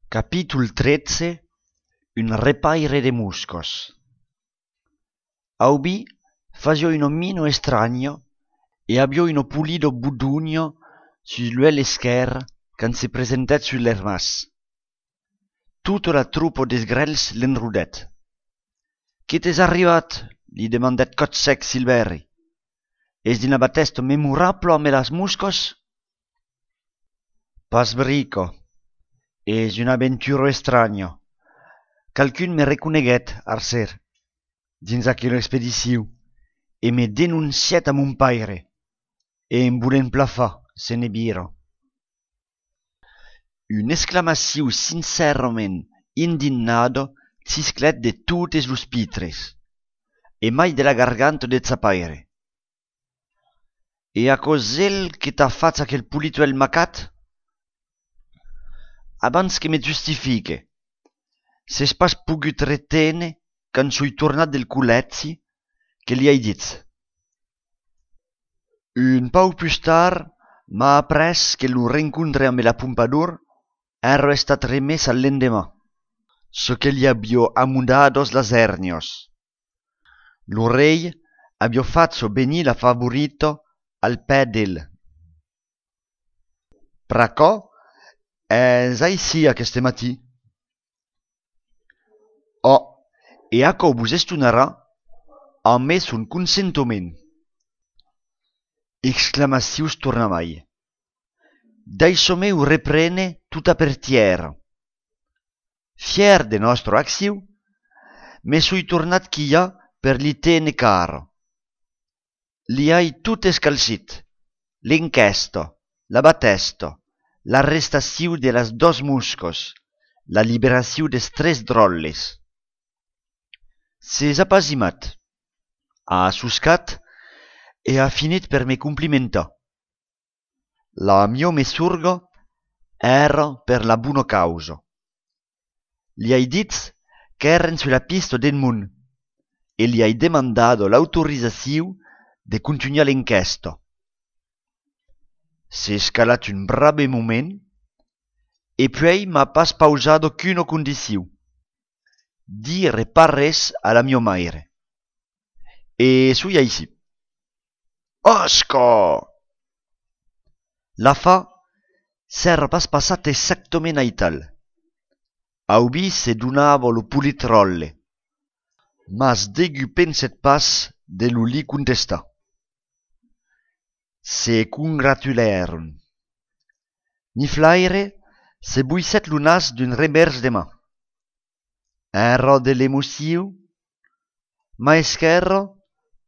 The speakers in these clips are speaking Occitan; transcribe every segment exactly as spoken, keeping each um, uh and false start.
Capítol tretze. Un repaire de moscas. Aubin fasiá una mina estranha e aviá una polida bodonha sus l'uèlh esquèrre quand se presentèt sus l'ermàs. Tota la tropa dels grèls l'enrodèt. Que t'es arribat? Li demandèt còp sec Silvèri. Es dins la batèsta memorabla amb las moscas? Pas brica. Es una aventura estranha. Qualqu'un me reconeguèt, arser, dins aquela expedicion, e me denoncièt a mon paire, e en volent plan far, se ne vira. Una exclamacion sincèrament indignada cisclèt de totes los pitres, e mai de la garganta de sa paire. E aquò's el que t'a fach aquel polit uèlh macat? Abans que me justifique, s'es pas pogut reténer quand soi tornat del collègi que li ai dich. Un pauc pus tard, m'a aprés que lo rencontre amb la Pompadour èra estat remés al lendeman, çò que li aviá amodadas las èrnias. Lo rei aviá fach venir la favorita al pè d'el. Pr'aquò es aicí aqueste matin. Ò, e aquò vos estonarà, amé son consentiment. Exclamacions tornamai. Daissa-me o reprene tota per tièra. Fièr de nòstra accion, me soi tornat quilhar per li téner cara. Li ai tot escalcit: l'enquèsta, la batèsta, l'arrestacion de las doas moscas, la liberacion dels tres dròlles. S'es apasimat, a soscat e a finit per me complimentar. La miá messorga èra per la bona causa. Li ai dit qu'èrem sus la pista d'Edmond e li ai demandat l'autorizacion de contunhar l'enquèsta. S'es calat un brave moment e puèi m'a pas pausat aucuna condicion: dire pas res a la miá maire. E soi aicí. Òsca! L'afar s'èra pas passat exactament aital. Aubin se donava lo polit ròtle, mas degun pensèt pas de lo li contestar. Se congratulèron. Niflaire se boissèt lo nas d'un revèrs de man. Èra de l'emocion, ma esquèrra,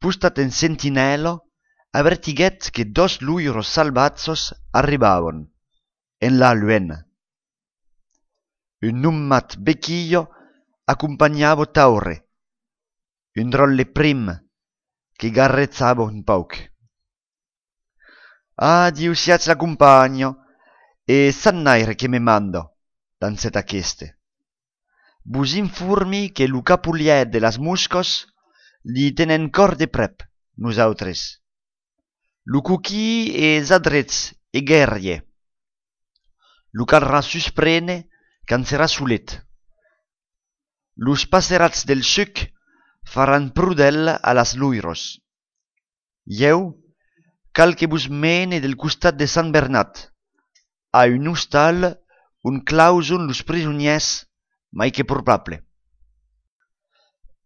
postat en sentinèla, avertiguèt que doas loiras salvatjas arribavan, enlà luènh. Un nomat Bequilha acompanhava Taure, un dròlle prim que garrejava un pauc. Adiu, siatz la companha, e Sant Naire que me manda, dancèt aqueste. Vos informi que lo capolièr de las moscas li tenèm còr de prèp, nosautres. Lo coquin es adrech e guerrier. Lo calrà susprene quand serà solet. Los passerats del suc faràn prodèl a las loiras. Ieu, cal que vos mene del costat de Sant Bernat, a un ostal ont clauson los prisonièrs mai que probable.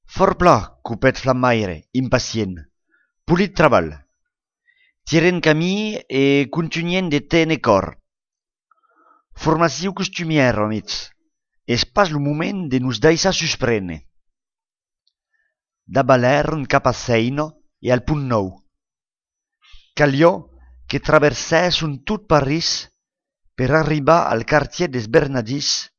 Fòrt plan, copèt Flamaire, impacient. Polit trabalh. Tirem camin e contunhem de téner còr. Formacion costumièra, amics. Es pas lo moment de nos daissar suspréner. Davalèron cap a Sèina e al Pont Nòu. Caliá que traversèsson tot París per arribar al quartièr dels Bernadins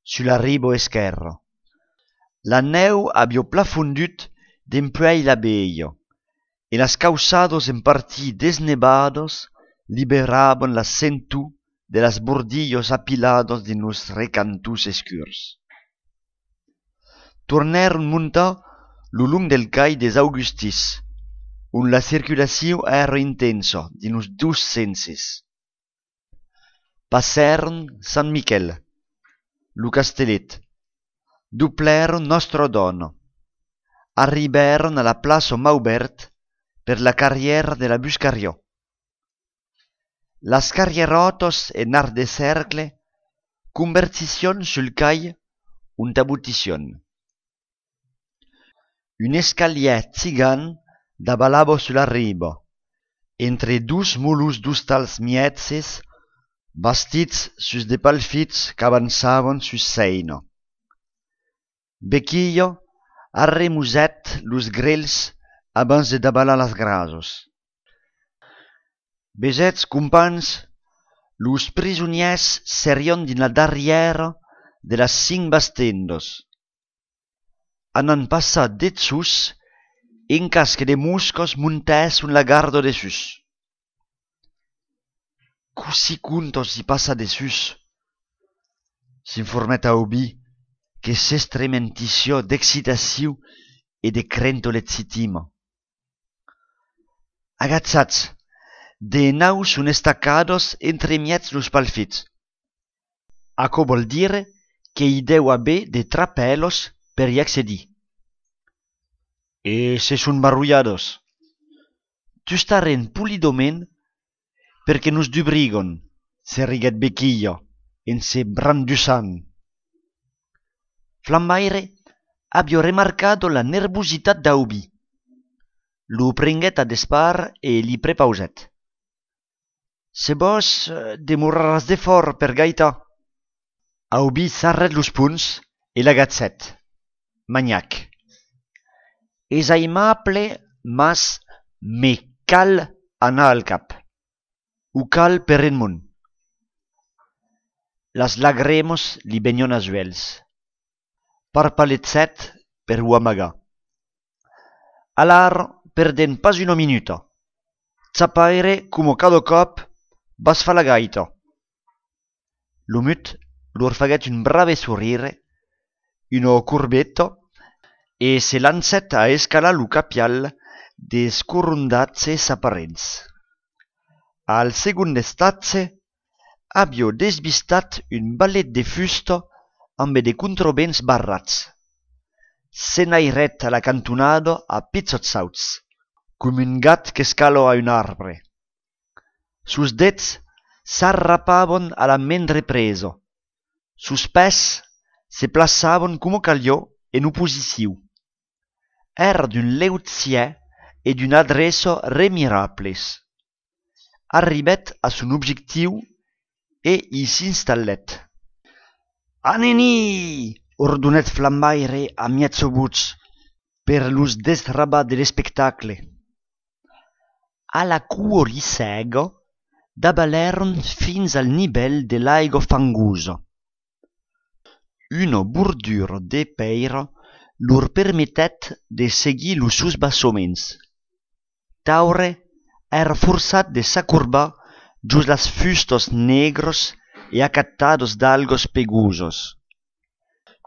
sus la riba esquèrra. La nèu aviá plan fondut dempuèi la velha e las cauçadas en partit desnevadas liberavan la sentor de las bordilhas apiladas dins los recantons escurs. Tornèron montar lo long del cai dels Augustins, ont la circulacion èra intensa dins los dos senses. Passèron Sant Miquèl. lo castelet, doblèron Nòstra Dòna, arribèron a la plaça Maubèrt per la carrièra de la Buscariá. Las carrièrotas en arc de cercle convergisson sul cai ont abotisson. Un escalièr gigant davalava sus la riba, entre dos molons d'ostals mièges bastits sus de palfits qu'avançavan sus Sèina. Bequilha arremosèt los grelhs abans de davalar las grasas. Vesètz, companhs, los prisonièrs serián dins la darrièra de las cinc bastendas. Anam passar dessús en cas que de moscas montèsson la garda dessús. Cossí comptas i passar dessús? S'informèt Aubin, que s'estrementissiá d'excitacion e de crenta legitima. Agachatz, de naus son estacadas entremièg los palfits. Aquò vòl dire que i deu aver de trapèlas per i accedir. E se son barrolhadas? Tustarem polidament per que nos dubrigan, se riguèt Bequilha en se brandussant. Flambaire aviá remarcat la nervositat d'Aubin. Lo prenguèt a despart e li prepausèt: Se vòs, eh, demoraràs defòra per gaitar. Aubin sarrèt los ponhs e l'agachèt. Manhac. Es aimable, mas me cal anar al cap. O cal per un mond. Las lagremas li venián als uèlhs. Parpalejèt per o amagar. Alara, perdèm pas una minuta. Chapaire, coma cada còp, vas far la gaita. Lo mut lor faguèt un brave sorire, una corbeta, e se lancèt a escalar lo capial dels corondatges aparents. Al segond estatge, aviá desvistat un valet de fusta ambe de contravents barrats. S'enairèt a la cantonada a pichòts sauts, coma un gat qu'escala a un arbre. Sos dets s'arrapavan a la mendre presa. Sos pès se plaçavan coma caliá en oposicion. Èra d'un leugièr e d'una adreça remirables. Arribèt a son objectiu e i s'installèt. Anèm-i! Ordonèt Flambaire a mièja votz per los desrabar de l'espectacle. A la coa li sèga, davalèron fins al nivèl de l'aiga fangosa. Una bordura de pèira lor permetèt de seguir los susbassaments. Taure èra forçat de s'acorbar jos las fustas negras e acatadas d'algas pegosas.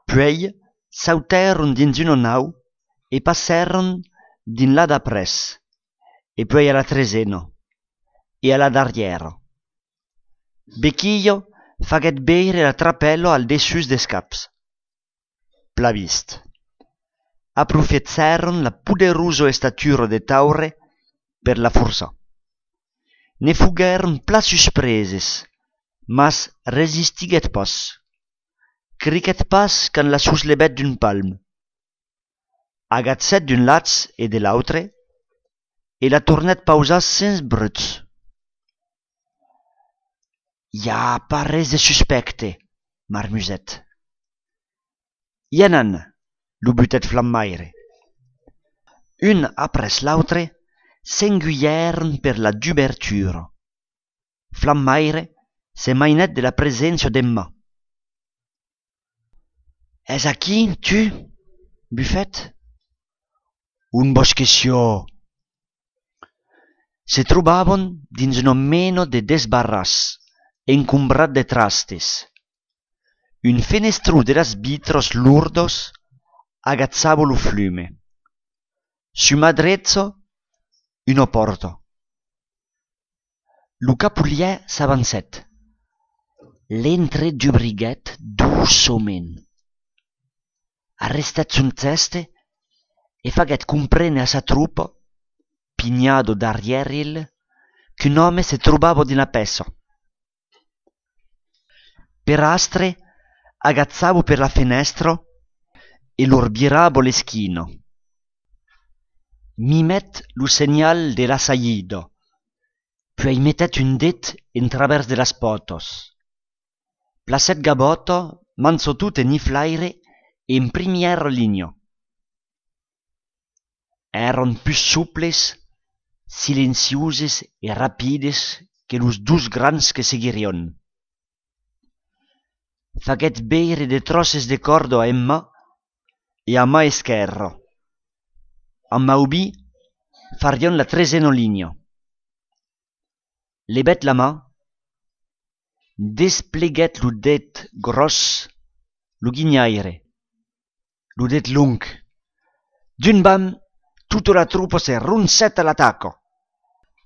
Puèi sautèron dins una nau e passèron dins la d'après, e puèi a la tresena, e a la darrièra. Bequilha faguèt veire la trapèla al dessús dels caps. Plan vist. Aprofechèron la poderosa estatura de Taure per la forçar. Ne foguèron plan suspreses, mas resistiguèt pas. Criquèt pas quand la soslevèt d'un palm. Agachèt d'un lach e de l'autre, e la tornèt pausar sens bruch. I a pas res de suspècte, marmusèt. I anam, lo butèt Flambaire. Un après l'autre, s'engulhèron per la dubertura. Flambaire se mainèt de la preséncia d'Emma. Es aquí, tu? Bufèt. On vòs que siá? Se trobavan dins una mena de desbarràs, encombrat de trastes. Un fenestron de las vitras lordas agachava lo flume. Sus ma drecha, una pòrta. Lo capolièr s'avancèt. L'entre dubriguèt doçament, arrestèt son chèste e faguèt comprene a sa tropa, pinhada darrièr el, qu'un òme se trobava dins la pèça. Per astre, agachava per la fenèstra e lor virava l'esquina. Mimèt lo senhal de l'assaïda, puèi metèt un det en travèrs de las pòtas. Placèt Gavòta, Mansotot e Niflaire en primièra linha. Èran pus soples, silencioses e rapides que los dos grands que seguirián. Faguèt veire de tròces de còrda a Emma e a man esquèrra. Amb Aubí farián la tresena linha. Levèt la man, despleguèt lo det gròs, lo guinhaire, lo det long. D'un bam, tota la tropa se roncèt a l'ataca.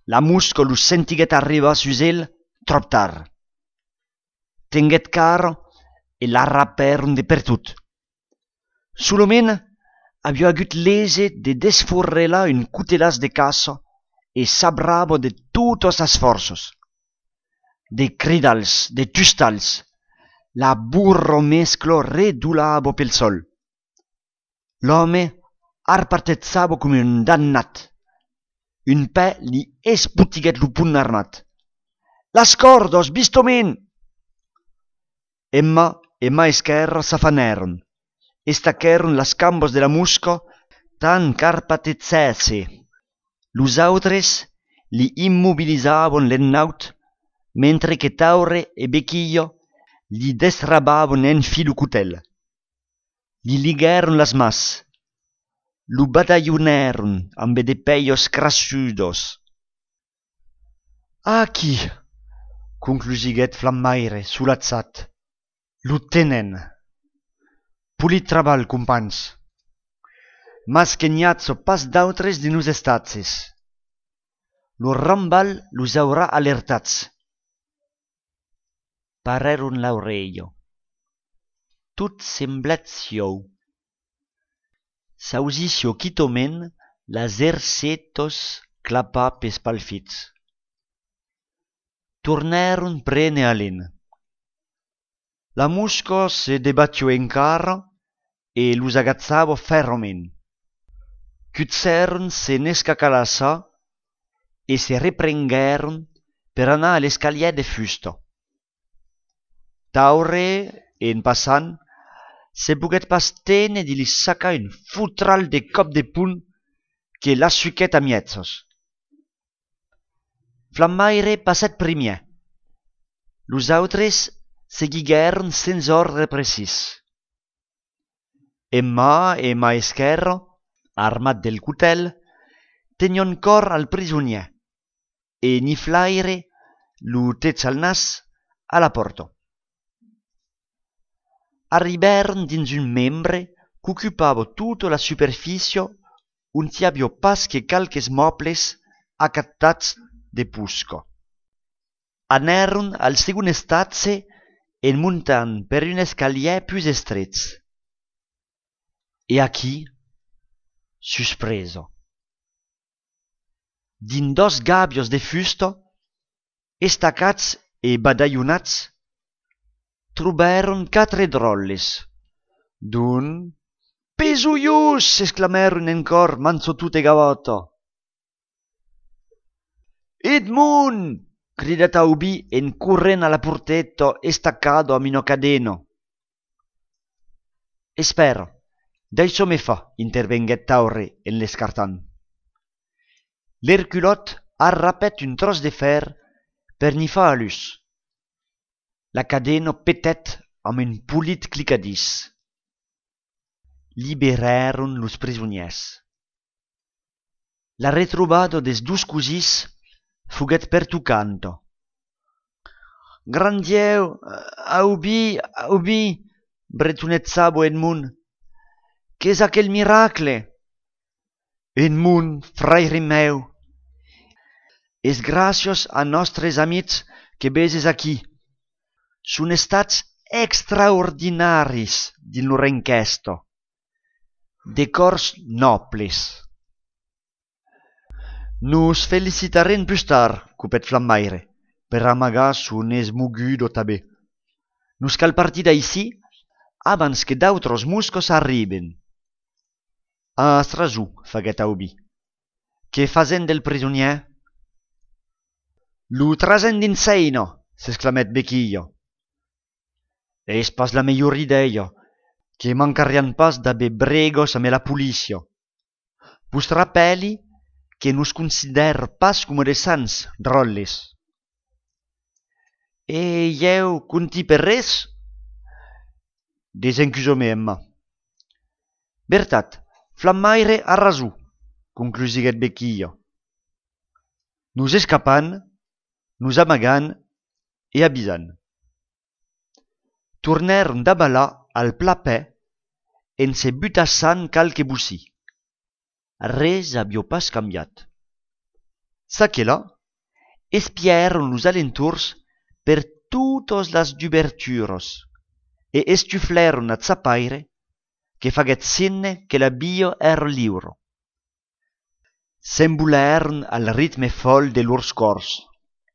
La mosca los sentiguèt arribar sus el tròp tard. Tenguèt cara e l'arrapèron de pertot. Solament aviá agut l'ese de desforrelar un cotelàs de caça e sabrava de totas sas fòrças. De cridals, de tustals, la borromescla redolava pel sòl. L'òme arpatejava coma un damnat. Un pè li espotiguèt lo pont armat. Las còrdas, vistament! Emma e man esquèrra s'afanèron, estaquèron las cambas de la mosca tant qu'arpatejèsse. Los autres li immobilizavan l'ennaut, mentre que Taure e Bequilha li destrabavan enfin lo cotèl. Li liguèron las mans, lo badalhonèron ambe de pèias crassudas. Aquí, conclusiguèt Flammaire, solatjat, lo tenèm. Polit trabalh, companhs. Mas que n'i aja pas d'autres dins los estatges. Lo rambalh los aurà alertats. Parèron l'aurelha. Tot semblèt sieu. S'ausissiá quitament las ercetas clapar pels palfits. Tornèron prene alen. La mosca se debatiá encara e los agachava fèrrament. Cuchèron se n'escacalassar e se reprenguèron per anar a l'escalièr de fusta. Taure, en passant, se poguèt pas téner de li sacar un fotral de còp de pont que l'assuquèt a mièjas. Flammaire passèt primièr. Los autres seguiguèron sens òrdre precís. Emma e man esquèrra, armat del cotèl, tenián còr al prisonièr e Niflaire lo tech al nas a la pòrta. Arribèron dins un membre qu'ocupava tota la superfícia ont i aviá pas que qualques mòbles acatats de posca. Anèron al segond estatge en montant per un escalièr pus estrech. E aquí, suspresa. Dins dos gàbias de fusta, estacats e badalhonats, trobèron quatre dròlles, dont: «Pesolhós!», exclamèron en còr Mansotot e Gavòta. «Edmond!», cridèt Aubí en corrent a la porteta estacada amb una cadena. «Espèra, daissa-me far», intervenguèt Taure en l'escartant. L'erculòt arrapèt un tròç de fèr per n'i far a l'us. La cadena petèt amb un polit clicadís. Liberèron los prisonièrs. La retrobada dels dos cosins foguèt pertocanta. «Grand Dieu, Aubí, Aubí!», bretonejava Edmond. «Qu'es aquel miracle?» «Edmond, fraire meu, es gràcias a nòstres amics que veses aquí. son estats extraordinaris dins lor enquèsta. De còrs nòbles. Nos felicitarem pus tard, copèt Flamaire, per amagar son esmoguda tanben. Nos cal partir d'aicí abans que d'autras moscas arriben. As rason, faguèt Aubi. Que fasèm del prisonièr? Lo trasèm dins Seina, s'exclamèt Bequilha. Es pas la melhor idèia, que mancarián pas d'aver bregas amb la polícia. Vos rapèli que nos considèra pas coma de sants, dròlles. E ieu compti per res? Desencusatz-me, Emma. Vertat, Flamaire a rason, conclusiguèt Bequilha. Nos escapam, nos amagam e avisam. Tornèron davalar al plan pè en se butassant qualque bocin. Res aviá pas cambiat. Çaquelà, espièron los alentorns per totas las duberturas e estuflèron a Chapaire, que faguèt signe que la via èra liura. S'envolèron al ritme fòl de lors còrs.